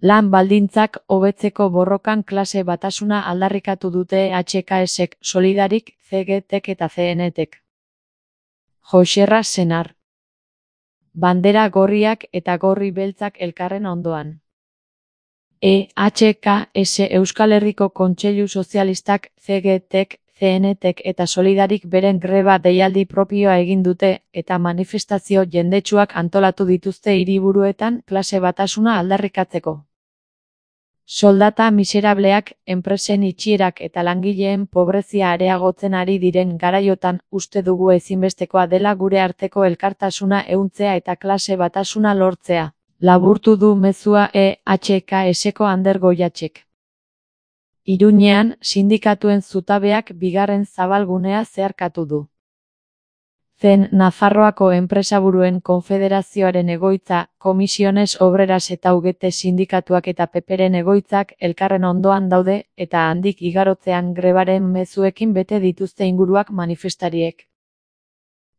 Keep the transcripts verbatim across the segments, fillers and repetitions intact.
Lan baldintzak hobetzeko borrokan klase batasuna aldarrikatu dute H K S-ek, Solidarik, C G T-ek eta C N T-ek. Joxerra Senar. Bandera gorriak eta gorri beltzak elkarren ondoan. E H K S Euskal Herriko Kontseilu Sozialistak, C G T-ek, C N T-ek eta Solidarik beren greba deialdi propioa egin dute eta manifestazio jendetsuak antolatu dituzte hiriburuetan klase batasuna aldarrikatzeko. Soldata miserableak, enpresen itxierak eta langileen pobrezia areagotzen ari diren garaiotan uste dugu ezinbestekoa dela gure arteko elkartasuna ehuntzea eta klase batasuna lortzea. Laburtu du mezua E H K S-eko Ander Goiatxek. Iruñean, sindikatuen zutabeak bigarren zabalgunea zeharkatu du. Zen Nafarroako Enpresaburuen Konfederazioaren egoitza, Komisiones Obreras eta U G T sindikatuak eta Peperen egoitzak elkarren ondoan daude eta handik igarotzean grebaren mezuekin bete dituzte inguruak manifestariek.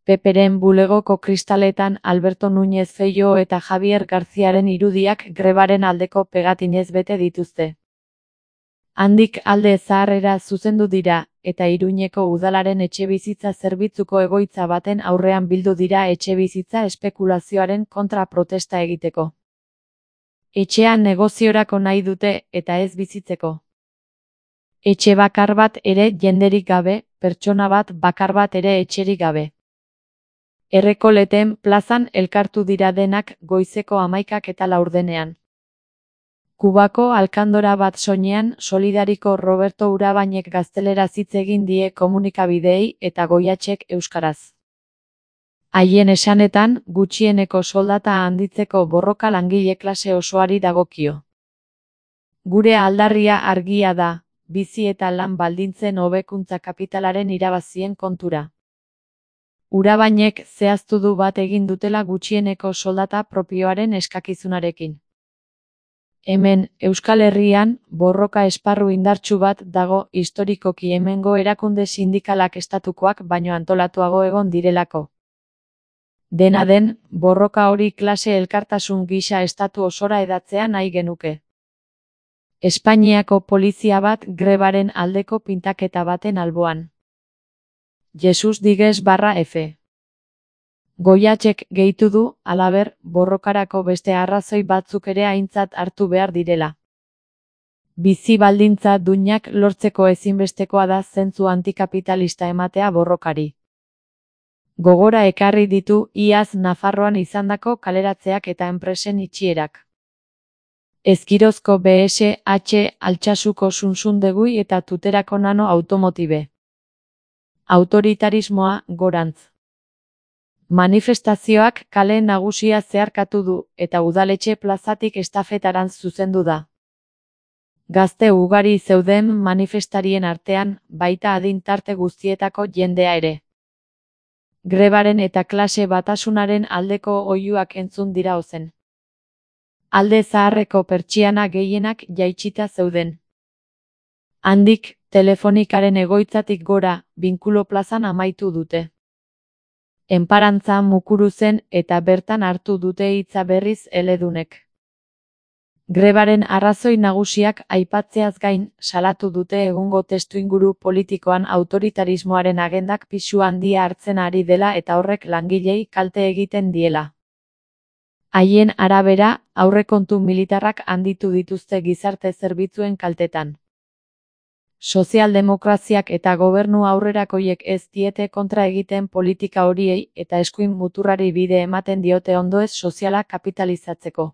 Peperen bulegoko kristaletan Alberto Núñez Feijóo eta Javier Garziaren irudiak grebaren aldeko pegatinez bete dituzte. Handik alde zaharrera zuzendu dira, eta Iruñeko udalaren etxebizitza zerbitzuko egoitza baten aurrean bildu dira etxebizitza espekulazioaren kontra protesta egiteko. Etxean negoziorako nahi dute eta ez bizitzeko. Etxe bakar bat ere jenderik gabe, pertsona bat bakar bat ere etxerik gabe. Errekoleten plazan elkartu dira denak goizeko hamaikak eta laurdenean. Kubako alkandora bat soinean Solidariko Roberto Urabainek gazteleraz hitz egin die komunikabideei eta Goiatxek euskaraz. Haien esanetan, gutxieneko soldata handitzeko borroka langile klase osoari dagokio. Gure aldarria argia da, bizi eta lan baldintzen hobekuntza kapitalaren irabazien kontura. Urabainek zehaztu du bat egin dutela gutxieneko soldata propioaren eskakizunarekin. Hemen, Euskal Herrian, borroka esparru indartsu bat dago historikoki hemengo erakunde sindikalak estatukoak baino antolatuago egon direlako. Dena den, borroka hori klase elkartasun gisa estatu osora edatzea nahi genuke. Espainiako polizia bat grebaren aldeko pintaketa baten alboan. Jesus Digues barra F. Goiatxek gehitu du, halaber, borrokarako beste arrazoi batzuk ere aintzat hartu behar direla. Bizi baldintza duinak lortzeko ezinbestekoa da zentzu antikapitalista ematea borrokari. Gogora ekarri ditu iaz Nafarroan izandako kaleratzeak eta enpresen itxierak. Ezkirozko B S H Altsasuko Sunsundegui eta Tuterako Nano Automotibe. Autoritarismoa gorantz. Manifestazioak kale nagusia zeharkatu du eta udaletxe plazatik estafetarantz zuzendu da. Gazte ugari zeuden manifestarien artean, baita adin tarte guztietako jendea ere. Grebaren eta klase batasunaren aldeko oihuak entzun dira ozen. Alde zaharreko pertsiana gehienak jaitsita zeuden. Handik, telefonikaren egoitzatik gora, Binkulo plazan amaitu dute. Enparantza Mukuruzen eta bertan hartu dute hitza berriz eledunek. Grebaren arrazoi nagusiak aipatzeaz gain, salatu dute egungo testuinguru politikoan autoritarismoaren agendak pisu handia hartzen ari dela eta horrek langilei kalte egiten diela. Haien arabera, aurrekontu militarrak handitu dituzte gizarte zerbitzuen kaltetan. Sozialdemokraziak eta gobernu aurrerakoiek ez diete kontra egiten politika horiei eta eskuin muturrari bide ematen diote ondoez soziala kapitalizatzeko.